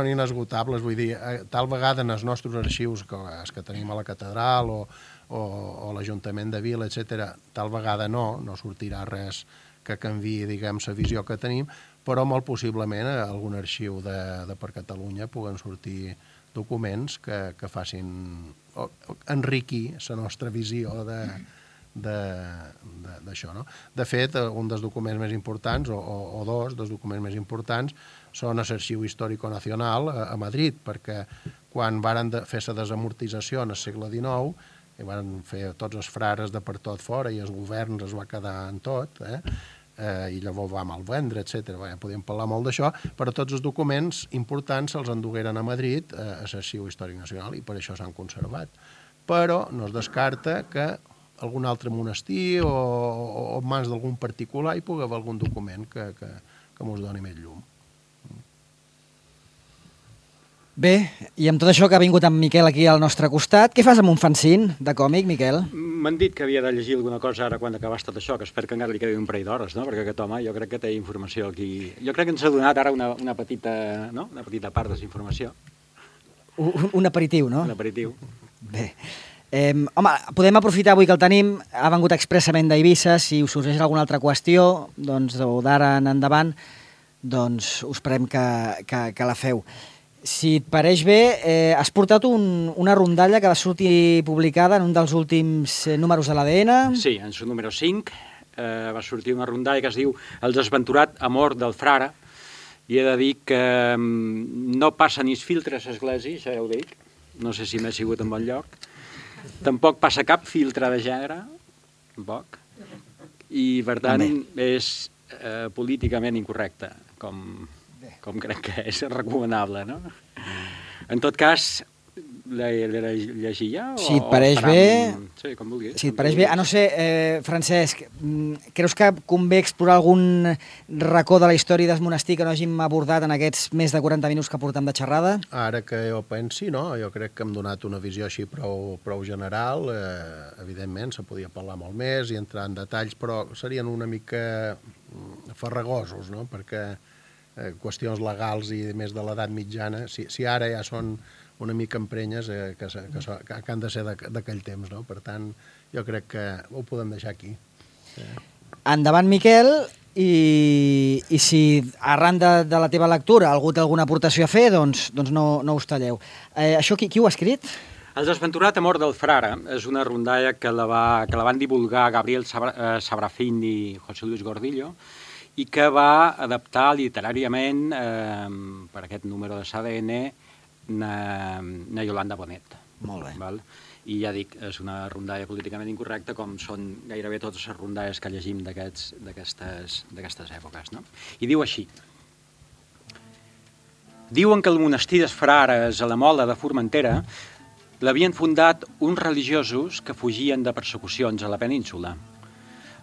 Speaker 4: inesgotables, vull dir, tal vegada en els nostres arxius, els que tenim a la catedral o l'Ajuntament de Vila, etc., tal vegada no sortirà res que canviï, diguem, la visió que tenim, però molt possiblement a algun arxiu de per Catalunya puguen sortir documents que facin enriquir la nostra visió d'això, no? De fet, un dels documents més importants, o dos dels documents més importants, són a l'Arxiu Històrico Nacional a Madrid, perquè quan varen fer la desamortització en el segle XIX, i van fer tots els frares de per tot fora i els governs es va quedar en tot, i llavors va malvendre, etc. Podíem parlar molt d'això, però tots els documents importants se'ls endugueren a Madrid, a l'Arxiu Històric Nacional, i per això s'han conservat. Però no es descarta que algun altre monestir o en mans d'algun particular hi pugui haver algun document que mos doni més llum.
Speaker 1: Bé, i amb tot això que ha vingut en Miquel aquí al nostre costat, què fas amb un fanzine de còmic, Miquel?
Speaker 8: M'han dit que havia de llegir alguna cosa ara quan acabàs tot això, que espero que encara li quedi un parell d'hores, no? Perquè aquest home jo crec que té informació aquí. Jo crec que ens ha donat ara una petita part de la informació.
Speaker 1: Un aperitiu, no?
Speaker 8: Un aperitiu.
Speaker 1: Bé. Home, podem aprofitar avui que el tenim, ha vengut expressament d'Eivissa, si us sorgeix alguna altra qüestió, doncs, o d'ara en endavant, doncs us prem que la feu. Si et pareix bé, has portat una rondalla que va sortir publicada en un dels últims números de l'ADN.
Speaker 8: Sí, en el número 5 va sortir una rondalla que es diu El desventurat amor del frare, i he de dir que no passa ni es filtre a l'església, això ja ho dic, no sé si m'he sigut en bon lloc, tampoc passa cap filtre de gènere, tampoc, i per tant és políticament incorrecte, com crec que és recomanable, no? En tot cas, llegir ja?
Speaker 1: Si et pareix bé...
Speaker 8: Sí, com vulguis.
Speaker 1: Si et pareix bé... no sé, Francesc, creus que convé explorar algun racó de la història del monestir que no hàgim abordat en aquests més de 40 minuts que portem de xerrada?
Speaker 4: Ara que jo pensi, no? Jo crec que hem donat una visió així prou general. Evidentment, se podia parlar molt més i entrar en detalls, però serien una mica farragosos, no? Perquè qüestions legals i més de l'edat mitjana, si ara ja són una mica emprenyes que han de ser d'aquell temps, no? Per tant, jo crec que ho podem deixar aquí.
Speaker 1: Endavant, Miquel, i si arran de la teva lectura algú té alguna aportació a fer, doncs no us talleu. Això qui ho ha escrit?
Speaker 8: El desventurat amor del frare és una rondalla que la van divulgar Gabriel Sabrafín i José Luis Gordillo i que va adaptar literàriament per aquest número de SADN na Yolanda Bonet.
Speaker 1: Molt bé.
Speaker 8: Val? I ja dic, és una rondalla políticament incorrecta com són gairebé totes les rondalles que llegim d'aquestes èpoques. No? I diu així: diuen que el monestir dels frares a la Mola de Formentera l'havien fundat uns religiosos que fugien de persecucions a la península.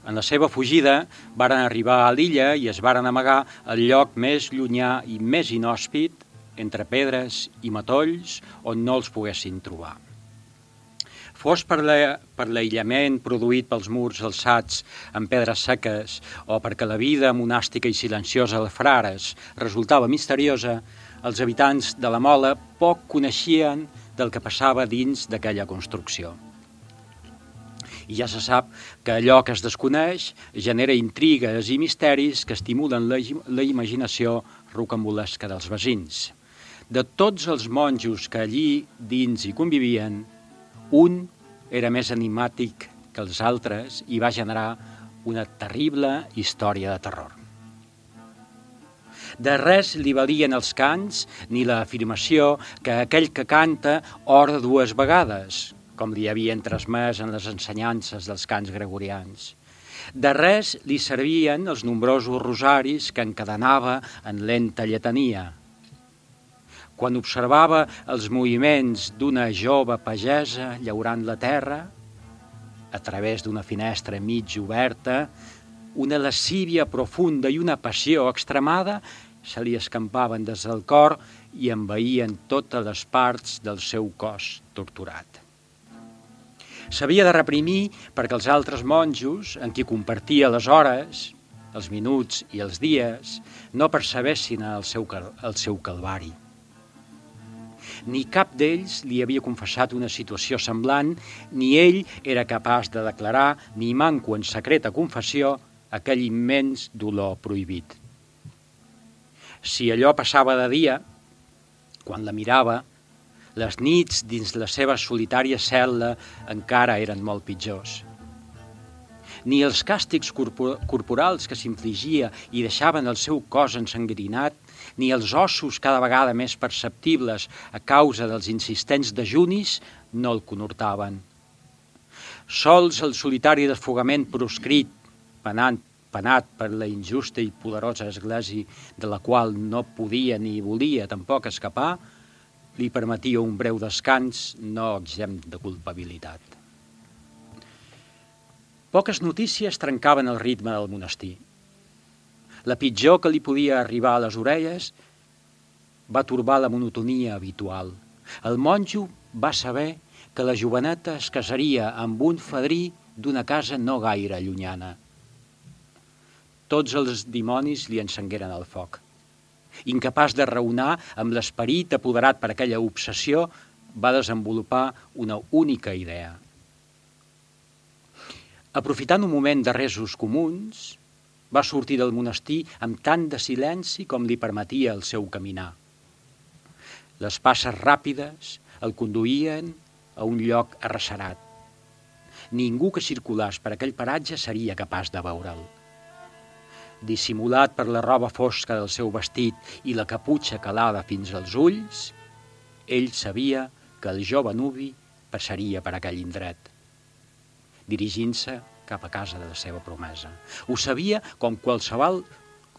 Speaker 8: En la seva fugida varen arribar a l'illa i es varen amagar al lloc més llunyà i més inhòspit, entre pedres i matolls, on no els poguessin trobar. Fos per l'aïllament produït pels murs alçats amb pedres seques o perquè la vida monàstica i silenciosa dels frares resultava misteriosa, els habitants de la Mola poc coneixien del que passava dins d'aquella construcció. I ja se sap que allò que es desconeix genera intrigues i misteris que estimulen la imaginació rocambolesca dels veïns. De tots els monjos que allí dins hi convivien, un era més enigmàtic que els altres i va generar una terrible història de terror. De res li valien els cants ni l'afirmació que aquell que canta ora 2 vegades, com li havien transmès en les ensenyances dels cants gregorians. De res li servien els nombrosos rosaris que encadenava en lenta lletania. Quan observava els moviments d'una jove pagesa llaurant la terra, a través d'una finestra mig oberta, una lascívia profunda i una passió extremada se li escampaven des del cor i envaïen totes les parts del seu cos torturat. S'havia de reprimir perquè els altres monjos, en qui compartia les hores, els minuts i els dies, no percebessin el seu calvari. Ni cap d'ells li havia confessat una situació semblant, ni ell era capaç de declarar, ni manco en secreta confessió, aquell immens dolor prohibit. Si allò passava de dia, quan la mirava, les nits dins la seva solitària cel·la encara eren molt pitjors. Ni els càstigs corporals que s'infligia i deixaven el seu cos ensangrinat, ni els ossos cada vegada més perceptibles a causa dels insistents dejunis no el conhortaven. Sols el solitari desfogament proscrit, penat per la injusta i poderosa església de la qual no podia ni volia tampoc escapar, li permetia un breu descans no exempt de culpabilitat. Poques notícies trencaven el ritme del monestir. La pitjor que li podia arribar a les orelles va torbar la monotonia habitual. El monjo va saber que la joveneta es casaria amb un fadrí d'una casa no gaire llunyana. Tots els dimonis li encengueren el foc. Incapaç de raonar amb l'esperit apoderat per aquella obsessió, va desenvolupar una única idea. Aprofitant un moment de resos comuns, va sortir del monestir amb tant de silenci com li permetia el seu caminar. Les passes ràpides el conduïen a un lloc arrecerat. Ningú que circulàs per aquell paratge seria capaç de veure'l. Dissimulat per la roba fosca del seu vestit i la caputxa calada fins als ulls, ell sabia que el jove nuvi passaria per aquell indret, dirigint-se cap a casa de la seva promesa. Ho sabia com qualsevol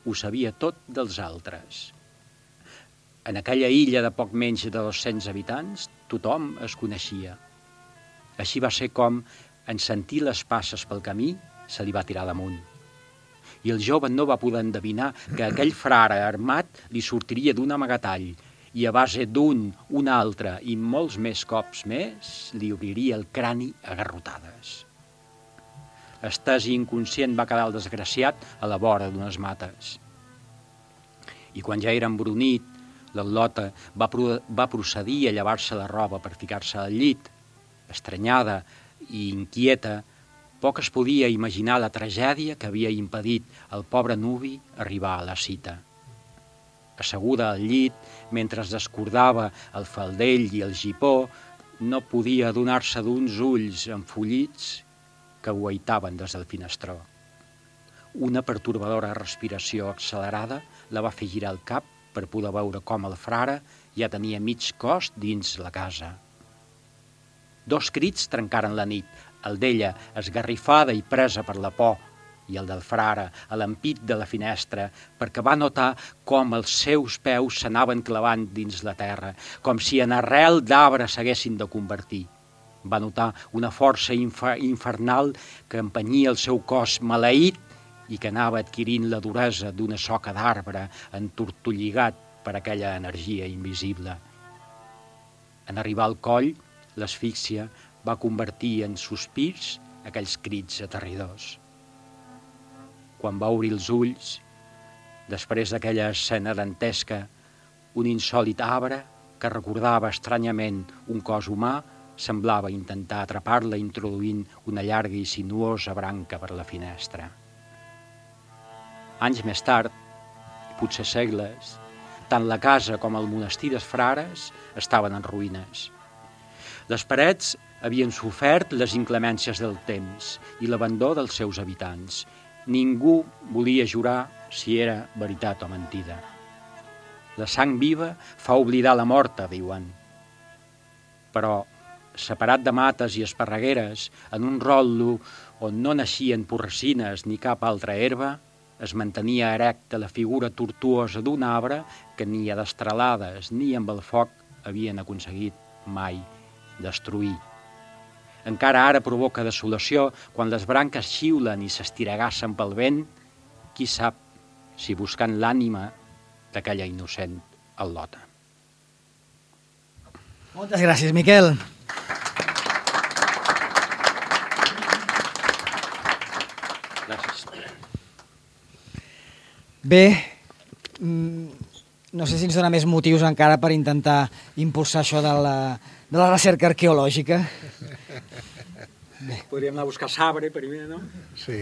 Speaker 8: ho sabia tot dels altres. En aquella illa de poc menys de 200 habitants, tothom es coneixia. Així va ser com, en sentir les passes pel camí, se li va tirar damunt. I el jove no va poder endevinar que aquell frare armat li sortiria d'un amagatall i a base d'un, un altre i molts més cops més, li obriria el crani a garrotades. Estès i inconscient va quedar el desgraciat a la vora d'unes mates. I quan ja era embrunit, l'al·lota va procedir a llevar-se la roba per ficar-se al llit. Estranyada i inquieta, Poc es podia imaginar la tragèdia que havia impedit al pobre nuvi arribar a la cita. Asseguda al llit, mentre es descordava el faldell i el gipó, no podia adonar-se d'uns ulls enfollits que guaitaven des del finestró. Una pertorbadora respiració accelerada la va fer girar el cap per poder veure com el frare ja tenia mig cos dins la casa. 2 crits trencaren la nit, el d'ella esgarrifada i presa per la por, i el del frare a l'ampit de la finestra, perquè va notar com els seus peus s'anaven clavant dins la terra, com si en arrel d'arbre s'haguessin de convertir. Va notar una força infernal que empenyia el seu cos maleït i que anava adquirint la duresa d'una soca d'arbre entortolligat per aquella energia invisible. En arribar al coll, l'asfíxia va convertir en sospirs aquells crits aterridors. Quan va obrir els ulls, després d'aquella escena dantesca, un insòlit arbre que recordava estranyament un cos humà semblava intentar atrapar-la introduint una llarga i sinuosa branca per la finestra. Anys més tard, i potser segles, tant la casa com el monestir dels frares estaven en ruïnes. Les parets havien sofert les inclemències del temps i l'abandó dels seus habitants. Ningú volia jurar si era veritat o mentida. La sang viva fa oblidar la morta, diuen. Però, separat de mates i esparregueres, en un rotllo on no naixien porcines ni cap altra herba, es mantenia erecta la figura tortuosa d'un arbre que ni a destralades ni amb el foc havien aconseguit mai destruir. Encara ara provoca desolació quan les branques xiulen i s'estiregassen pel vent, qui sap si buscant l'ànima d'aquella innocent al·lota.
Speaker 1: Moltes gràcies, Miquel.
Speaker 8: Gràcies.
Speaker 1: Bé, no sé si ens dona més motius encara per intentar impulsar això de la recerca arqueològica.
Speaker 8: Podríem anar a buscar sabre primer, no?
Speaker 4: Sí.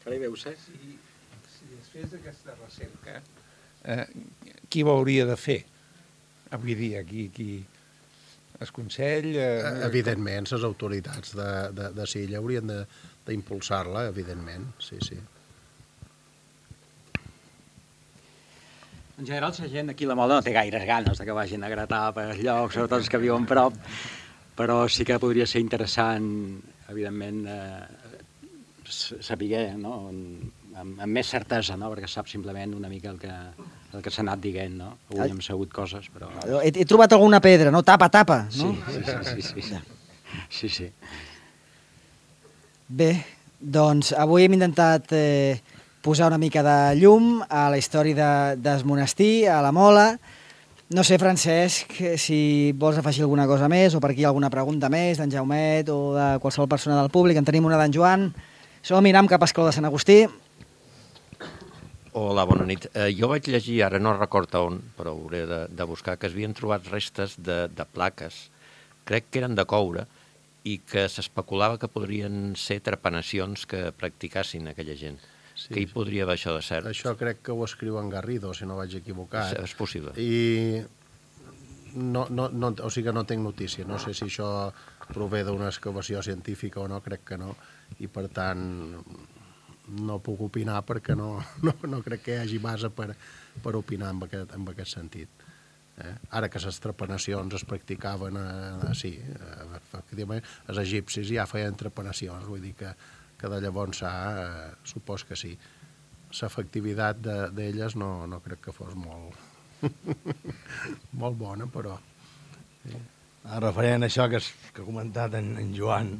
Speaker 8: Carai, veus,
Speaker 5: Si es fes aquesta recerca, qui ho hauria de fer? Avui dia, qui es consell...
Speaker 4: Evidentment, les autoritats de Silla haurien d'impulsar-la, evidentment, sí, sí.
Speaker 8: En general, la gent aquí a la Mola no té gaires ganes que vagin a gratar per llocs, sobretot els que viuen prop, però sí que podria ser interessant, evidentment, saber, no? amb més certesa, no? Perquè sap simplement una mica el que s'ha anat dient, no? Avui hem sabut coses, però...
Speaker 1: He trobat alguna pedra, no? Tapa, no?
Speaker 8: Sí.
Speaker 1: Bé, doncs avui hem intentat posar una mica de llum a la història del monestir, a la Mola. No sé, Francesc, si vols afegir alguna cosa més o per aquí alguna pregunta més d'en Jaumet o de qualsevol persona del públic. En tenim una d'en Joan. Som, anem cap a Esclau de Sant Agustí.
Speaker 6: Hola, bona nit. Jo vaig llegir, ara no recordo on, però hauré de buscar, que es havien trobat restes de plaques, crec que eren de coure, i que s'especulava que podrien ser trepanacions que practicassin aquella gent. Sí, que hi podria haver això de cert.
Speaker 4: Això crec que ho escriu en Garrido, si no vaig equivocat.
Speaker 6: És possible.
Speaker 4: I o sigui que no tinc notícia. No sé si això prové d'una excavació científica o no, crec que no. I per tant no puc opinar perquè no crec que hi hagi base per opinar en aquest sentit. Ara que les trepanacions es practicaven, sí, efectivament, els egipcis ja feien trepanacions, vull dir que de llavors supos que sí. L'efectivitat d'elles no crec que fos molt molt bona, però...
Speaker 2: Referent a això que ha comentat en Joan,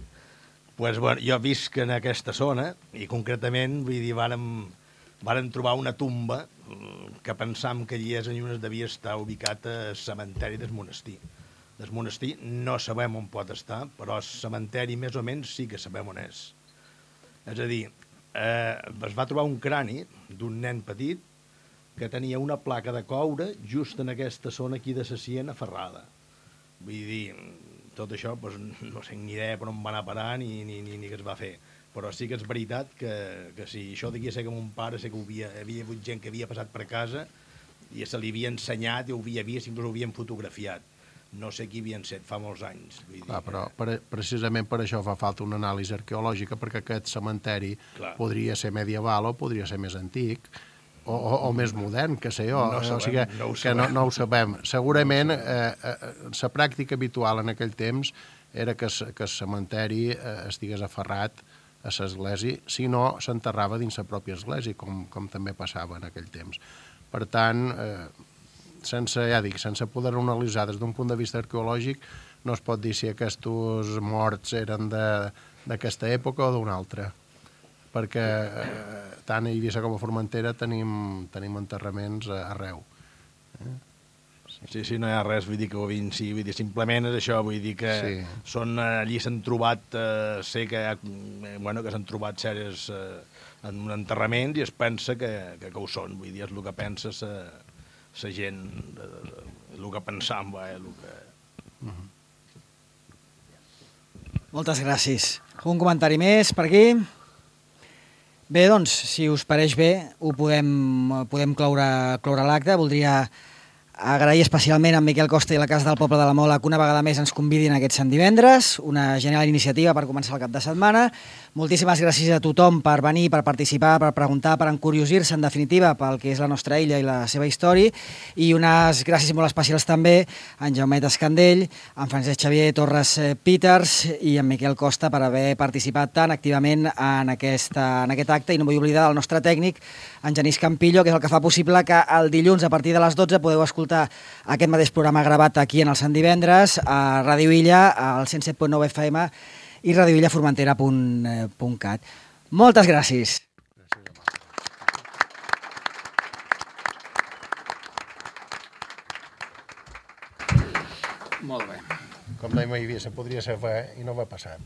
Speaker 2: doncs, bueno, jo visc en aquesta zona i concretament, vull dir, vàrem trobar una tumba que pensam que allí és on devia estar ubicat el cementeri del monestir. Del monestir no sabem on pot estar, però el cementeri més o menys sí que sabem on és. És a dir, es va trobar un crani d'un nen petit que tenia una placa de coure just en aquesta zona aquí de la sien aferrada. Vull dir, tot això doncs, no sé ni idea per on va anar a parar ni què es va fer. Però sí que és veritat que si això d'aquí sé que mon pare sé que hi havia hagut gent que havia passat per casa i se li havia ensenyat i ho havia vist, inclús ho havien fotografiat. No sé qui havien set fa molts anys. Vull dir,
Speaker 4: però precisament per això fa falta una anàlisi arqueològica, perquè aquest cementeri podria ser medieval o podria ser més antic, o més modern, que sé jo. No ho sabem. Segurament la pràctica habitual en aquell temps era que el cementeri estigués aferrat a l'església, si no s'enterrava dins la pròpia església, com també passava en aquell temps. Per tant, sense poder analitzar des d'un punt de vista arqueològic, no es pot dir si aquests morts eren d'aquesta època o d'una altra, perquè tant a Eivissa com a Formentera tenim enterraments arreu.
Speaker 2: Sí, no hi ha res, vull dir que simplement és això, vull dir que allí s'han trobat, sé que s'han trobat sèries en un enterrament i es pensa que ho són, vull dir, és el que pensa la gent, el que pensam,
Speaker 1: Moltes gràcies. Un comentari més per aquí? Bé, doncs, si us pareix bé, ho podem cloure l'acte. Voldria agrair especialment a en Miquel Costa i a la Casa del Poble de la Mola que una vegada més ens convidin aquest Sant Divendres, una genial iniciativa per començar el cap de setmana. Moltíssimes gràcies a tothom per venir, per participar, per preguntar, per encuriosir-se, en definitiva, pel que és la nostra illa i la seva història. I unes gràcies molt especials també a en Jaumet Escandell, a en Francesc Xavier Torres Peters i a en Miquel Costa per haver participat tan activament en aquest acte. I no vull oblidar el nostre tècnic, en Genís Campillo, que és el que fa possible que el dilluns a partir de les 12 podeu escoltar aquest mateix programa gravat aquí en el Sant Divendres a Ràdio Illa, al 107.9 FM i radioillaformentera.cat. Moltes gràcies.
Speaker 8: Molt bé.
Speaker 4: Com dèiem a Eivissa, podria ser fe i no m'ha passat.